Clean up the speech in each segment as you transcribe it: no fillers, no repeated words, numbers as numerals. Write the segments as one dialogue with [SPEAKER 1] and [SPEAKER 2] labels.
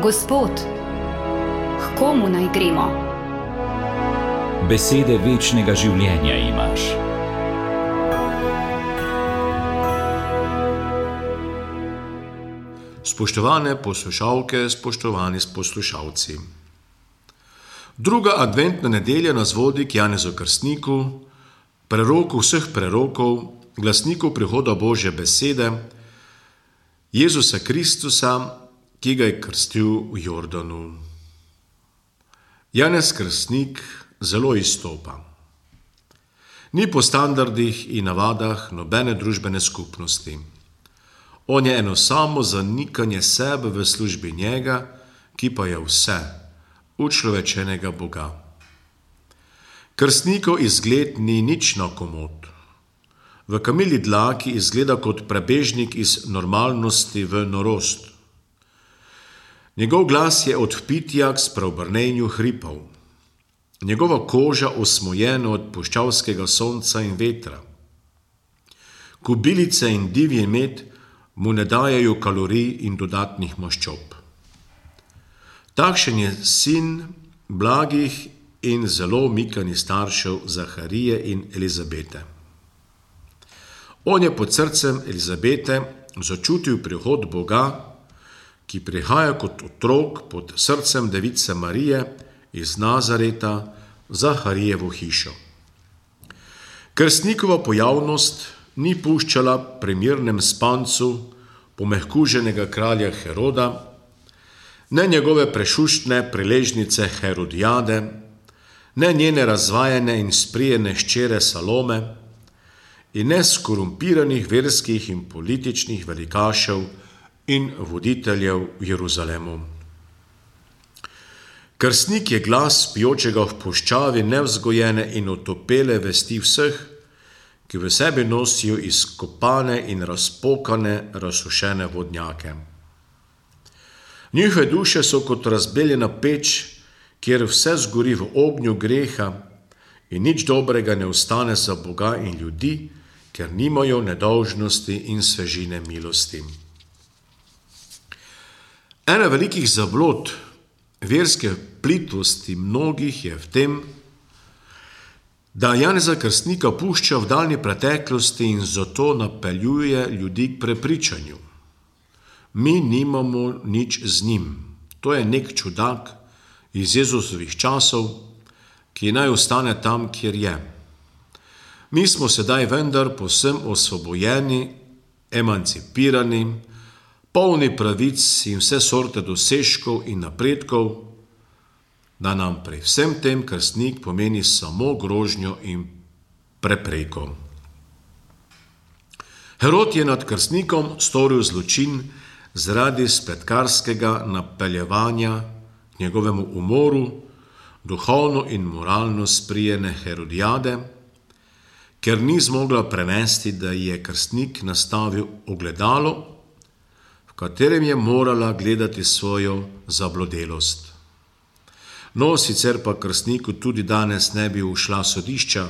[SPEAKER 1] Gospod, k komu naj gremo?
[SPEAKER 2] Besede večnega življenja imaš.
[SPEAKER 3] Spoštovane poslušalke, spoštovani poslušalci. Druga adventna nedelja nas vodi k Janezu Krstniku, preroku vseh prerokov, glasniku prihoda Božje besede, Jezusa Kristusa, ki ga je krstil v Jordanu. Janez Krstnik zelo izstopa. Ni po standardih in navadah nobene družbene skupnosti. On je eno samo zanikanje sebe v službi njega, ki pa je vse, učlovečenega Boga. Krstnikov izgled ni nič na komod. V kamili dlaki izgleda kot prebežnik iz normalnosti v norost. Njegov glas je od vpitja k spreobrnenju hripov. Njegova koža osmojena od puščavskega sonca in vetra. Kobilice in divji med mu ne dajajo kalorij in dodatnih maščob. Takšen je sin blagih in zelo mikanih staršev Zaharije in Elizabete. On je pod srcem Elizabete začutil prihod Boga, ki prihaja kot otrok pod srcem device Marije iz Nazareta v Zaharijevo hišo. Krstnikova pojavnost ni puščala pri mirnem spancu pomehkuženega kralja Heroda, ne njegove prešuštne priležnice Herodijade, ne njene razvajene in sprijene hčere Salome in ne skorumpiranih verskih in političnih velikašev in voditeljev v Jeruzalemu. Krstnik je glas pijočega v puščavi nevzgojene in otopele vesti vseh, ki v sebi nosijo izkopane in razpokane, razsušene vodnjake. Njihove duše so kot razbeljena peč, kjer vse zgori v ognju greha in nič dobrega ne ostane za Boga in ljudi, ker nimajo nedolžnosti in svežine milosti. Ena velikih zablod verske plitvosti mnogih je v tem, da Janeza Krstnika pušča v daljni preteklosti in zato napeljuje ljudi k prepričanju. Mi nimamo nič z njim. To je nek čudak iz Jezusovih časov, ki naj ostane tam, kjer je. Mi smo sedaj vendar povsem osvobojeni, emancipirani, polni pravic in vse sorte dosežkov in napredkov, da nam pri vsem tem krstnik pomeni samo grožnjo in prepreko. Herod je nad krstnikom storil zločin zaradi spletkarskega napeljevanja k njegovemu umoru, duhovno in moralno sprijene Herodijade, ker ni zmogla prenesti, da je krstnik nastavil ogledalo, v katerem je morala gledati svojo zablodelost. No, sicer pa krstniku tudi danes ne bi ušla sodišča,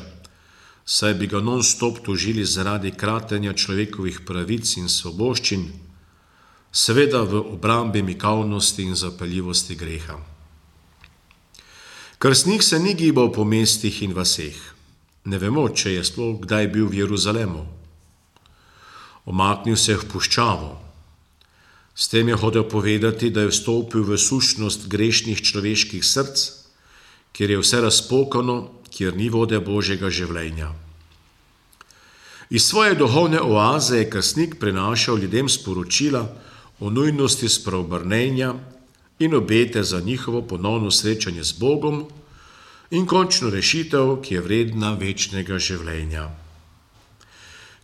[SPEAKER 3] saj bi ga non-stop tožili zaradi kratenja človekovih pravic in svoboščin, seveda v obrambi mikavnosti in zapeljivosti greha. Krstnik se ni gibal po mestih in vaseh. Ne vemo, če je sploh kdaj bil v Jeruzalemu. Omaknil se je v puščavo. S tem je hotel povedati, da je vstopil v sušnost grešnih človeških src, kjer je vse razpokano, kjer ni vode Božjega življenja. Iz svoje duhovne oaze je krstnik prinašal ljudem sporočila o nujnosti spreobrnenja in obete za njihovo ponovno srečanje z Bogom in končno rešitev, ki je vredna večnega življenja.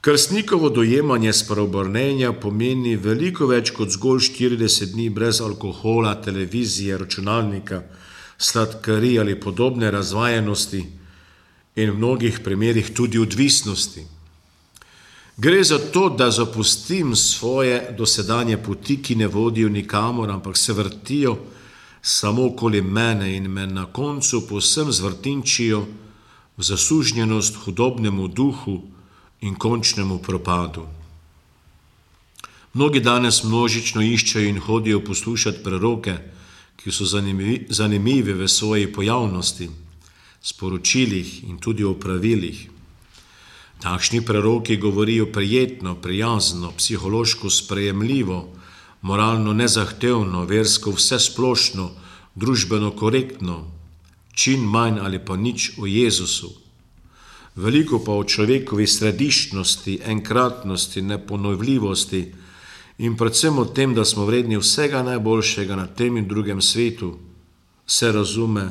[SPEAKER 3] Krstnikovo dojemanje spreobrnenja pomeni veliko več kot zgolj 40 dni brez alkohola, televizije, računalnika, sladkarij ali podobne razvajenosti in v mnogih primerih tudi odvisnosti. Gre za to, da zapustim svoje dosedanje poti, ki ne vodijo nikamor, ampak se vrtijo samo okoli mene in me na koncu povsem zvrtinčijo v zasužnjenost hudobnemu duhu in končnemu propadu. Mnogi danes množično iščejo in hodijo poslušati preroke, ki so zanimivi v svoji pojavnosti, sporočilih in tudi o pravilih. Takšni preroki govorijo prijetno, prijazno, psihološko sprejemljivo, moralno nezahtevno, versko vsesplošno, družbeno korektno, čim manj ali pa nič o Jezusu. Veliko pa o človekovi središčnosti, enkratnosti, neponovljivosti in predvsem o tem, da smo vredni vsega najboljšega na tem in drugem svetu, se razume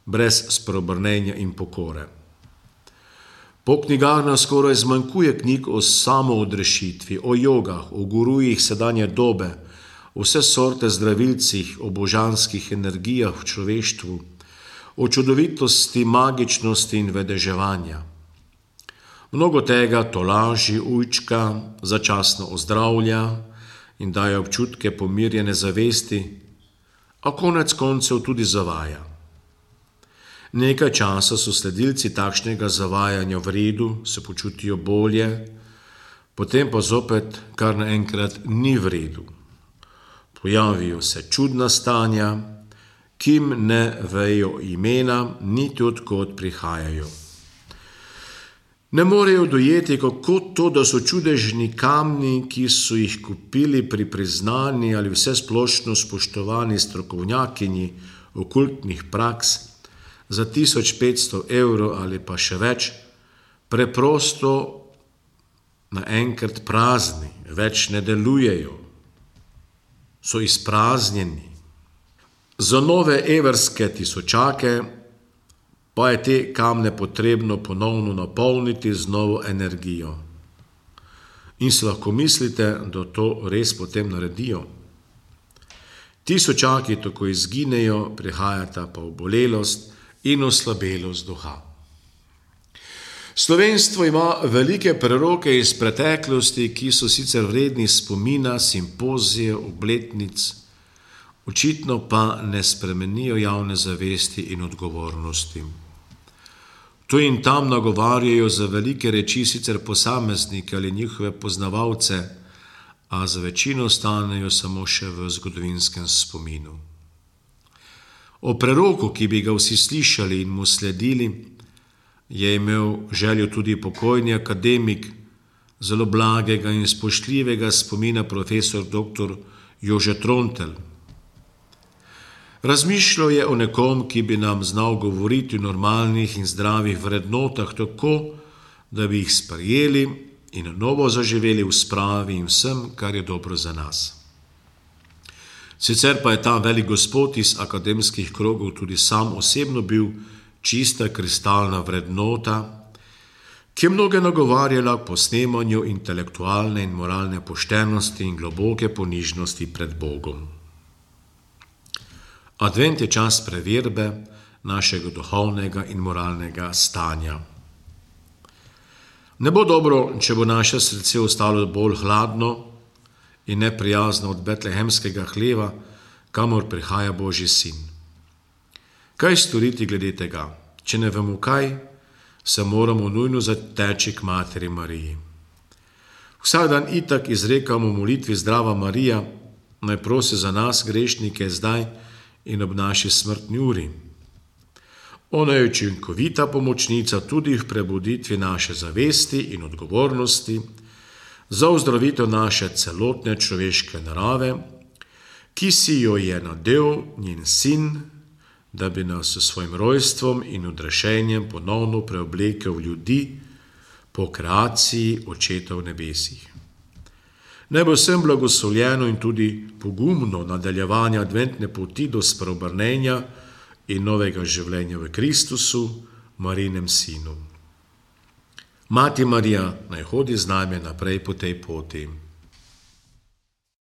[SPEAKER 3] brez spreobrnenja in pokore. Po knjigarnah skoraj zmanjkuje knjig o samoodrešitvi, o jogah, o gurujih sedanje dobe, o vse sorte zdravilcih, o božanskih energijah v človeštvu, o čudovitosti, magičnosti in vedeževanja. Mnogo tega tolaži, ujčka, začasno ozdravlja in daje občutke pomirjene zavesti, a konec koncev tudi zavaja. Nekaj časa so sledilci takšnega zavajanja v redu, se počutijo bolje, potem pa zopet kar naenkrat ni v redu. Pojavijo se čudna stanja, ki jim ne vejo imena, niti odkot prihajajo. Ne morejo dojeti, kako to, da so čudežni kamni, ki so jih kupili pri priznani ali vsesplošno spoštovani strokovnjakinji okultnih praks, za 1500 evrov ali pa še več, preprosto naenkrat prazni, več ne delujejo, so izpraznjeni. Za nove evrske tisočake pa je te kamne potrebno ponovno napolniti z novo energijo. In si lahko mislite, da to res potem naredijo. Tisočaki tako izginejo, prihajata pa obolelost in oslabelost duha. Slovenstvo ima velike preroke iz preteklosti, ki so sicer vredni spomina, simpozije, obletnic, očitno pa ne spremenijo javne zavesti in odgovornosti. Tu in tam nagovarjajo za velike reči sicer posameznike ali njihove poznavalce, a za večino ostanejo samo še v zgodovinskem spominu. O preroku, ki bi ga vsi slišali in mu sledili, je imel željo tudi pokojni akademik zelo blagega in spoštljivega spomina profesor dr. Jože Trontelj. Razmišljal je o nekom, ki bi nam znal govoriti o normalnih in zdravih vrednotah tako, da bi jih sprejeli in na novo zaživeli v spravi in vsem, kar je dobro za nas. Sicer pa je ta velik gospod iz akademskih krogov tudi sam osebno bil čista kristalna vrednota, ki je mnoge nagovarjala po snemanju intelektualne in moralne poštenosti in globoke ponižnosti pred Bogom. Advent je čas preverbe našega duhovnega in moralnega stanja. Ne bo dobro, če bo naše srce ostalo bolj hladno in neprijazno od betlehemskega hleva, kamor prihaja Božji sin. Kaj storiti glede tega? Če ne vemo kaj, se moramo nujno zateči k materi Mariji. Vsak dan itak izrekamo molitvi Zdrava Marija, naj prosi za nas grešnike zdaj in ob naši smrtni uri. Ona je učinkovita pomočnica tudi v prebuditvi naše zavesti in odgovornosti za ozdravitev naše celotne človeške narave, ki si jo je nadel njen sin, da bi nas s svojim rojstvom in odrešenjem ponovno preoblekel v ljudi po kreaciji Očeta v nebesih. Naj bo vsem blagoslovljeno in tudi pogumno nadaljevanje adventne poti do spreobrnenja in novega življenja v Kristusu, Marijinem sinu. Mati Marija naj hodi z nami naprej po tej poti.